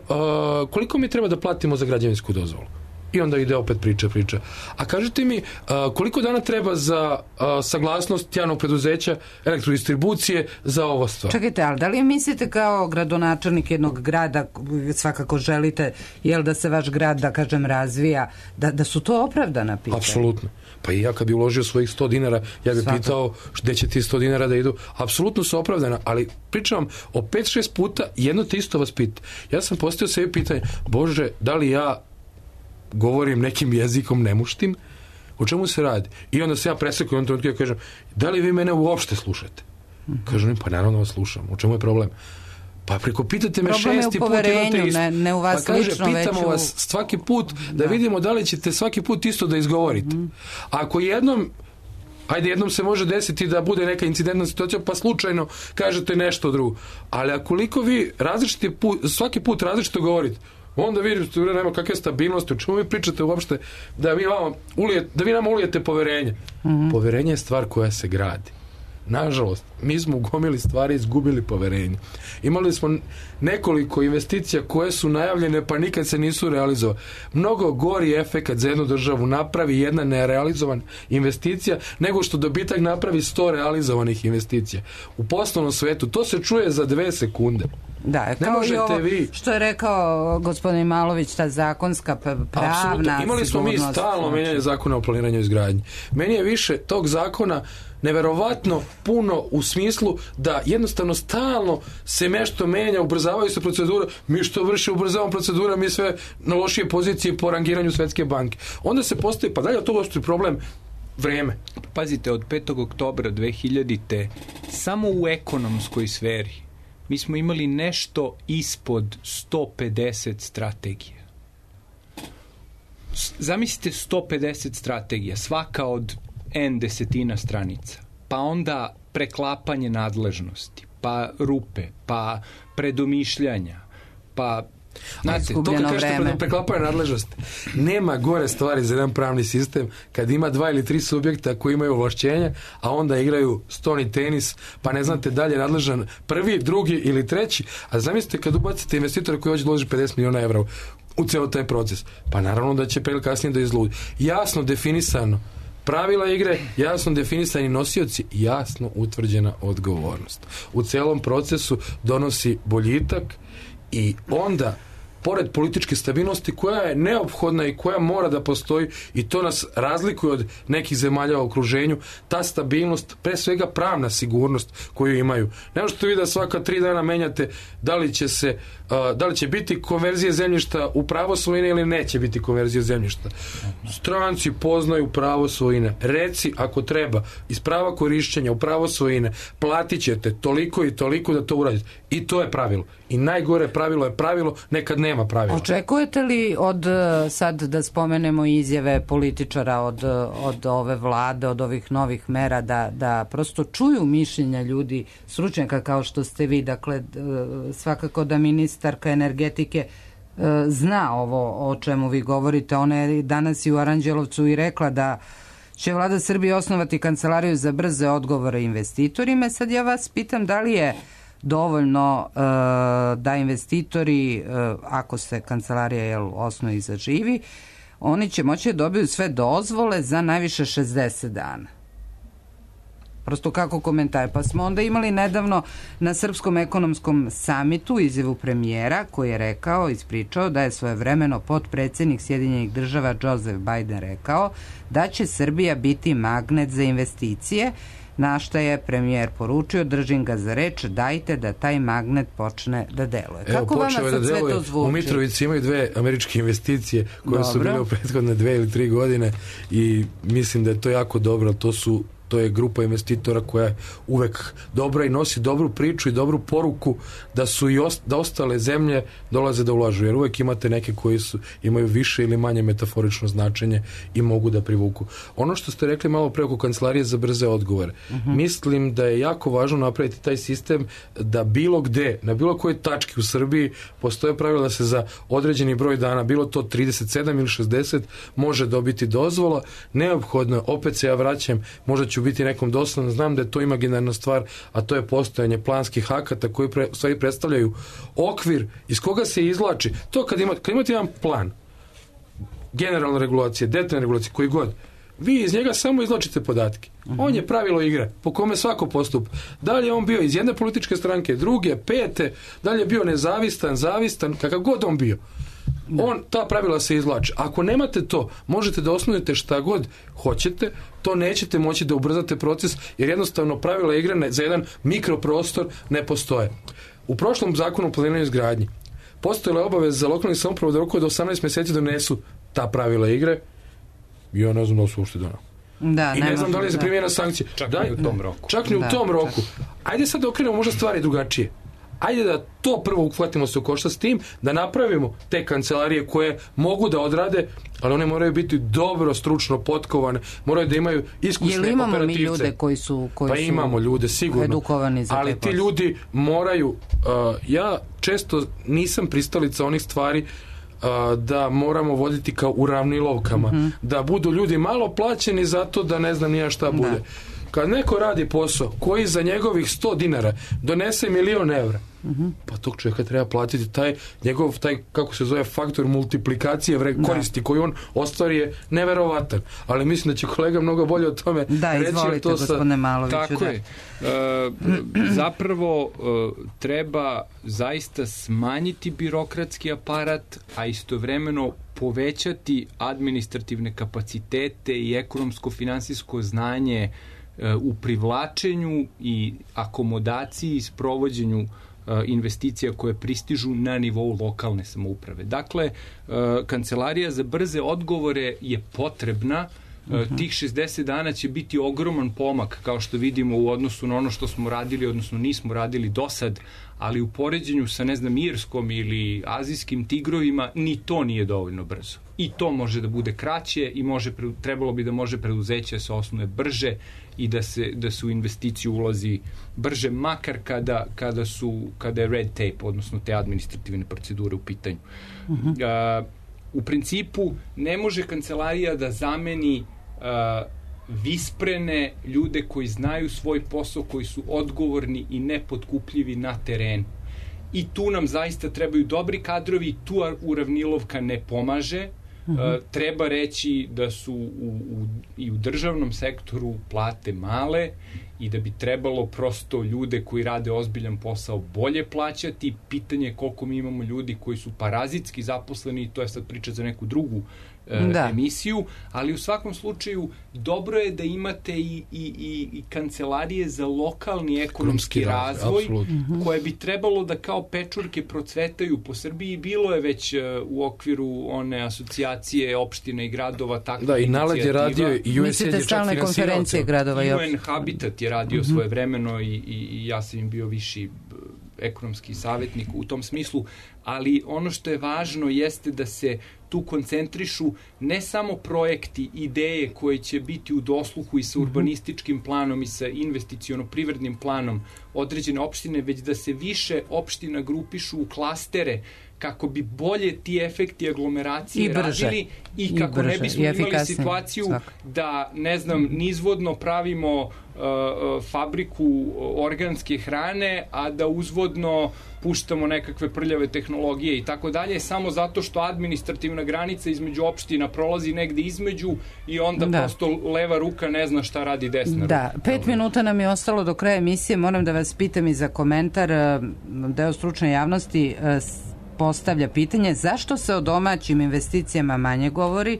koliko mi treba da platimo za građevinsku dozvolu? I onda ide opet priča, priča. A kažete mi, uh, koliko dana treba za uh, saglasnost javnog preduzeća, elektrodistribucije za ovo stvar? Čekajte, ali da li mislite kao gradonačelnik jednog grada, svakako želite, jel da se vaš grad, da kažem, razvija, da, da su to opravdana pitanja? Apsolutno. Pa i ja kad bi uložio svojih sto dinara, ja bih Svaka. pitao gde će ti sto dinara da idu. Apsolutno su opravdana, ali pričam o pet šest puta, jedno te isto vas pita. Ja sam postavio sebi pitanje, Bože, da li ja govorim nekim jezikom nemuštim? O čemu se radi? I onda se ja presekujem u trenutku i ja kažem, da li vi mene uopšte slušate? Kažem, pa naravno vas slušam. U čemu je problem? Pa preko pitate me problem šesti put jedno te isto. Ne, ne u vas pa kaže, lično, pitamo već u... vas svaki put da, da vidimo da li ćete svaki put isto da izgovorite. Mm. Ako jednom, ajde jednom se može desiti da bude neka incidentna situacija, pa slučajno kažete nešto drugo. Ali akoliko vi različiti put, svaki put različito govorite, onda vidite, nema kakve stabilnosti, o čemu vi pričate uopšte, da vi, vama ulijete, da vi nama ulijete poverenje. Mm-hmm. Poverenje je stvar koja se gradi. Nažalost, mi smo u gomili stvari izgubili poverenje. Imali smo nekoliko investicija koje su najavljene pa nikad se nisu realizovane. Mnogo gori efekat za jednu državu napravi jedna nerealizovan investicija nego što dobitak napravi sto realizovanih investicija. U poslovnom svetu to se čuje za dve sekunde. Da, ne kao možete i ovo vi... što je rekao gospodin Malović, ta zakonska pravna Apsolutno. Imali smo mi stalno menjanje zakona o planiranju i izgradnji. Meni je više tog zakona neverovatno puno u smislu da jednostavno stalno se nešto menja, ubrzavaju se procedure, mi što vrši ubrzavamo procedure, mi sve na lošije pozicije po rangiranju Svetske banke. Onda se postoji, pa dalje od toga što je problem vreme. Pazite, od petog oktobra dve hiljadite samo u ekonomskoj sferi mi smo imali nešto ispod sto pedeset strategija. Zamislite sto pedeset strategija, svaka od N desetina stranica, pa onda preklapanje nadležnosti, pa rupe, pa predomišljanja, pa... Znate, to kad kažete preklapanje nadležnosti, nema gore stvari za jedan pravni sistem kad ima dva ili tri subjekta koji imaju ovlašćenja, a onda igraju stoni tenis, pa ne znate dalje nadležan prvi, drugi ili treći, a zamislite kad ubacite investitora koji hoće da uloži pedeset miliona evra u ceo taj proces, pa naravno da će pre ili kasnije da izludi. Jasno definisano pravila igre, jasno definisani nosioci, jasno utvrđena odgovornost. U celom procesu donosi boljitak i onda, pored političke stabilnosti koja je neophodna i koja mora da postoji, i to nas razlikuje od nekih zemalja u okruženju, ta stabilnost, pre svega pravna sigurnost koju imaju. Ne možete vi da svaka tri dana menjate da li će se uh, da li će biti konverzije zemljišta u pravo svojine ili neće biti konverzije zemljišta. Stranci poznaju pravo svojine. Reci ako treba iz prava korišćenja u pravo svojine platit ćete toliko i toliko da to uradite. I to je pravilo. I najgore pravilo je pravilo, nekad nema pravila. Očekujete li od, sad da spomenemo izjave političara od, od ove vlade, od ovih novih mera, da, da prosto čuju mišljenja ljudi, stručnjaka kao što ste vi, dakle svakako da ministarka energetike zna ovo o čemu vi govorite. Ona je danas i u Aranđelovcu i rekla da će vlada Srbije osnovati kancelariju za brze odgovore investitorima. Sad ja vas pitam da li je dovoljno uh, da investitori, uh, ako se kancelarija jel, osnovi zaživi, oni će moći da dobiju sve dozvole za najviše šezdeset dana. Prosto kako komentar. Pa smo onda imali nedavno na Srpskom ekonomskom samitu izjavu premijera koji je rekao, ispričao da je svojevremeno potpredsednik Sjedinjenih država Joseph Biden rekao da će Srbija biti magnet za investicije, na šta je premijer poručio, držim ga za reč, dajte da taj magnet počne da deluje. Evo, kako vama sad da sve deluje. to zvuči? U Mitrovici imaju dve američke investicije koje dobro. su bile u prethodne dve ili tri godine i mislim da je to jako dobro. To su to je grupa investitora koja je uvek dobra i nosi dobru priču i dobru poruku da su i ost, da ostale zemlje dolaze da ulažu, jer uvek imate neke koji su, imaju više ili manje metaforično značenje i mogu da privuku. Ono što ste rekli malo pre oko kancelarije za brze odgovore, uh-huh. mislim da je jako važno napraviti taj sistem da bilo gde, na bilo kojoj tački u Srbiji postoje pravila da se za određeni broj dana, bilo to trideset sedam ili šezdeset, može dobiti dozvola. Neophodno, opet se ja vraćam, možda ću biti nekom doslovno, znam da je to imaginarna stvar, a to je postojanje planskih akata koji pre, stvari predstavljaju okvir iz koga se izvlači. To kad, ima, kad imate jedan plan, generalna regulacija, detaljna regulacija, koji god, vi iz njega samo izvlačite podatke. Uh-huh. On je pravilo igre po kome svako postupa. Da li je on bio iz jedne političke stranke, druge, pete, da li je bio nezavistan, zavistan, kakav god on bio. On, ta pravila se izvlače. Ako nemate to, možete da osnujete šta god hoćete, to nećete moći da ubrzate proces, jer jednostavno pravila igre za jedan mikroprostor ne postoje. U prošlom zakonu o planiranju i izgradnji postojala je obaveza za lokalne samouprave da roku od osamnaest meseci donesu ta pravila igre i ja ne znam da li su uopšte donali. Da, I ne, ne znam da li je za primjena sankcije. Čak da, ni u tom roku. Čak ni u da, tom roku. čak. Ajde sad da okrenemo možda stvari drugačije. Ajde da to prvo uhvatimo se u koštac s tim, da napravimo te kancelarije koje mogu da odrade, ali one moraju biti dobro stručno potkovane, moraju da imaju iskusne operativce. Jel imamo mi ljude koji su, koji pa su imamo ljude, sigurno. Edukovani za ali ti ljudi moraju, uh, ja često nisam pristalica onih stvari uh, da moramo voditi kao u ravnilovkama, mm-hmm. da budu ljudi malo plaćeni zato da ne znam nija šta bude. Da. kad neko radi posao koji za njegovih sto dinara donese milion evra, uh-huh. pa tog čovjeka treba platiti taj njegov, taj, kako se zove, faktor multiplikacije vre, koristi koji on ostvari je neverovatan. Ali mislim da će kolega mnogo bolje o tome da, reći. Da, izvolite, gospodine Maloviću. Tako da. je. E, zapravo e, treba zaista smanjiti birokratski aparat, a istovremeno povećati administrativne kapacitete i ekonomsko-finansijsko znanje e, u privlačenju i akomodaciji i sprovođenju e, investicija koje pristižu na nivou lokalne samouprave. Dakle, e, Kancelarija za brze odgovore je potrebna. Uh-huh. Tih šezdeset dana će biti ogroman pomak, kao što vidimo, u odnosu na ono što smo radili, odnosno nismo radili do sad, ali u poređenju sa, ne znam, irskom ili azijskim tigrovima, ni to nije dovoljno brzo. I to može da bude kraće i može, trebalo bi da može preduzeće se osnuje brže i da se, da se u investiciju ulazi brže, makar kada, kada, su, kada je red tape, odnosno te administrativne procedure u pitanju. Uh-huh. Uh, u principu ne može kancelarija da zameni uh, visprene ljude koji znaju svoj posao, koji su odgovorni i nepotkupljivi na terenu. I tu nam zaista trebaju dobri kadrovi, tu uravnilovka ne pomaže. Uh, treba reći da su u, u, i u državnom sektoru plate male i da bi trebalo prosto ljude koji rade ozbiljan posao bolje plaćati. Pitanje je koliko mi imamo ljudi koji su parazitski zaposleni i to je sad priča za neku drugu uh, da. emisiju, ali u svakom slučaju dobro je da imate i, i, i, i kancelarije za lokalni ekonomski razvoj, razvoj koje bi trebalo da kao pečurke procvetaju po Srbiji. Bilo je već uh, u okviru one asocijacije opština i gradova takva da, i Naled je radio i U S A I je čak finansirao. Gradova i U N Habitat je radio uh-huh. svoje vremeno i, i, i ja sam im bio viši ekonomski savjetnik u tom smislu, ali ono što je važno jeste da se tu koncentrišu ne samo projekti, ideje koje će biti u dosluhu i sa urbanističkim planom i sa investiciono-privrednim planom određene opštine, već da se više opština grupišu u klastere kako bi bolje ti efekti aglomeracije I radili i, I kako brže, ne bismo imali situaciju svak. da, ne znam, nizvodno pravimo uh, fabriku organske hrane, a da uzvodno puštamo nekakve prljave tehnologije i tako dalje, samo zato što administrativna granica između opština prolazi negde između i onda da. prosto leva ruka ne zna šta radi desna ruka. Da, pet minuta nam je ostalo do kraja emisije. Moram da vas pitam i za komentar. Deo stručne javnosti postavlja pitanje zašto se o domaćim investicijama manje govori.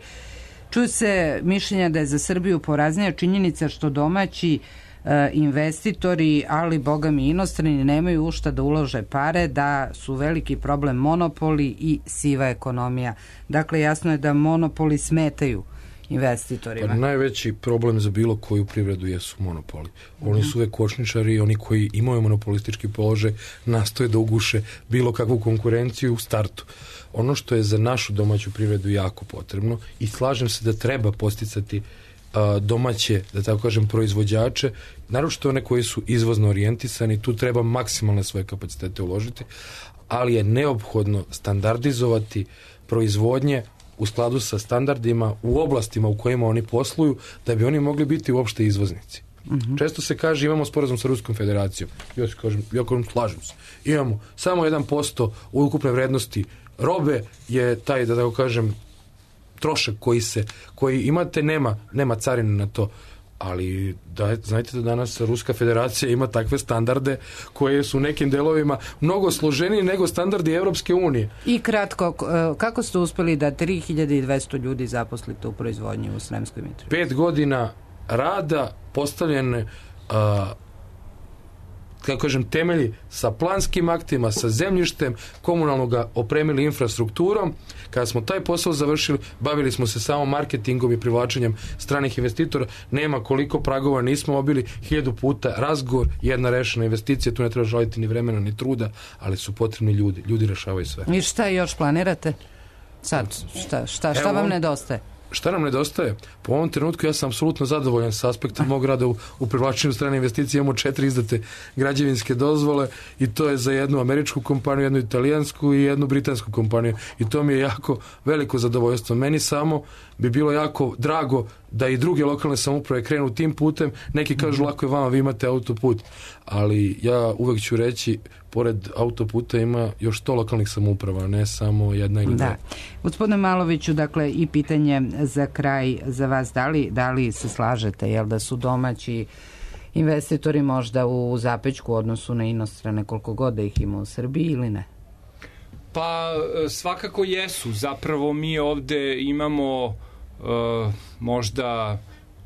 Čuju se mišljenja da je za Srbiju poraznija činjenica što domaći e, investitori, ali boga mi inostrani, nemaju u šta da ulože pare, da su veliki problem monopoli i siva ekonomija. Dakle, jasno je da monopoli smetaju investitorima. Pa najveći problem za bilo koju privredu jesu monopoli. Oni su uvek kočničari i oni koji imaju monopolistički položaj nastoje da uguše bilo kakvu konkurenciju u startu. Ono što je za našu domaću privredu jako potrebno i slažem se da treba posticati a, domaće, da tako kažem, proizvođače, naročito one koji su izvozno orijentisani, tu treba maksimalne svoje kapacitete uložiti, ali je neophodno standardizovati proizvodnje u skladu sa standardima u oblastima u kojima oni posluju, da bi oni mogli biti uopšte izvoznici. Uh-huh. Često se kaže imamo sporazum sa Ruskom federacijom. Ja se kažem, ja kažem, slažem se. Imamo samo jedan posto u ukupne vrednosti robe je taj, da tako kažem, trošak koji se, koji imate, nema, nema carine na to. Ali da, znajte da danas Ruska federacija ima takve standarde koje su u nekim delovima mnogo složeniji nego standardi Evropske unije. I kratko, kako ste uspeli da tri hiljade dvesta ljudi zaposlite u proizvodnji u Sremskoj Mitrovici? Pet godina rada, postavljene a, kako kažem, temelji sa planskim aktima, sa zemljištem, komunalno ga opremili infrastrukturom. Kada smo taj posao završili, bavili smo se samo marketingom i privlačenjem stranih investitora. Nema koliko pragova nismo obili, hiljadu puta razgovor, jedna rešena investicija, tu ne treba žaliti ni vremena ni truda, ali su potrebni ljudi. Ljudi rešavaju sve. I šta još planirate? Sad, šta, šta, šta vam nedostaje? Šta nam nedostaje? Po ovom trenutku ja sam apsolutno zadovoljan sa aspekta mog rada u, u privlačenju strane investicije. Imamo četiri izdate građevinske dozvole i to je za jednu američku kompaniju, jednu italijansku i jednu britansku kompaniju. I to mi je jako veliko zadovoljstvo. Meni samo bi bilo jako drago da i druge lokalne samouprave krenu tim putem. Neki kažu lako je vama, vi imate autoput, ali ja uvek ću reći, pored autoputa ima još sto lokalnih samouprava, ne samo jedna ili dva. Da. Gospodine Maloviću, dakle, i pitanje za kraj za vas, da li, da li se slažete, jel da su domaći investitori možda u zapećku u odnosu na inostrane, koliko god da ih ima u Srbiji ili ne? Pa svakako jesu. Zapravo mi ovde imamo uh, možda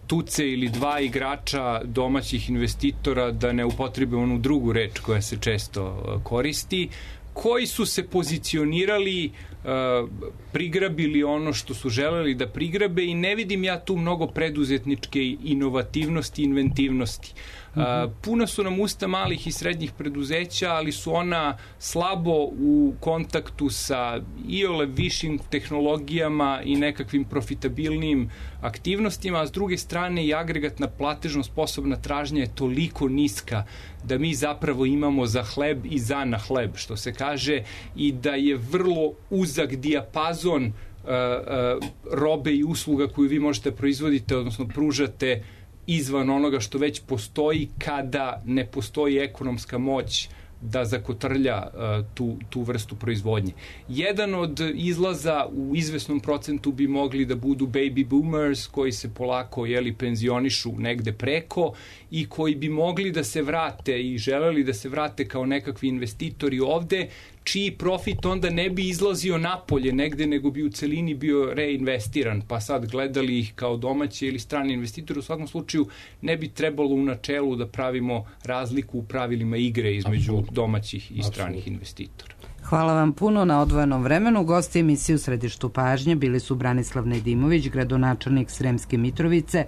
tuce ili dva igrača domaćih investitora, da ne upotrebe onu drugu reč koja se često uh, koristi, koji su se pozicionirali, uh, prigrabili ono što su želeli da prigrabe i ne vidim ja tu mnogo preduzetničke inovativnosti i inventivnosti. Uh, puno su nam usta malih i srednjih preduzeća, ali su ona slabo u kontaktu sa iole višim tehnologijama i nekakvim profitabilnim aktivnostima, a s druge strane i agregatna platežno sposobna tražnja je toliko niska da mi zapravo imamo za hleb i za na hleb, što se kaže, i da je vrlo uzak dijapazon uh, uh, robe i usluga koju vi možete proizvoditi, odnosno pružate izvan onoga što već postoji, kada ne postoji ekonomska moć da zakotrlja uh, tu, tu vrstu proizvodnje. Jedan od izlaza u izvesnom procentu bi mogli da budu baby boomers koji se polako jeli, penzionišu negde preko i koji bi mogli da se vrate i želeli da se vrate kao nekakvi investitori ovde, čiji profit onda ne bi izlazio napolje negde, nego bi u celini bio reinvestiran, pa sad gledali ih kao domaće ili strani investitori. U svakom slučaju ne bi trebalo u načelu da pravimo razliku u pravilima igre između domaćih i stranih investitora. Hvala vam puno na odvojenom vremenu. Gosti emisije u središtu pažnje bili su Branislav Nedimović, gradonačelnik Sremske Mitrovice,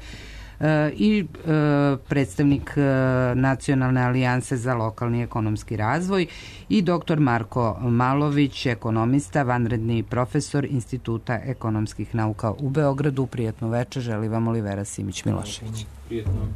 i predstavnik Nacionalne alijanse za lokalni ekonomski razvoj, i doktor Marko Malović, ekonomista, vanredni profesor Instituta ekonomskih nauka u Beogradu. Prijatno večer, želi vam Olivera Simić-Milošević. Prijatno.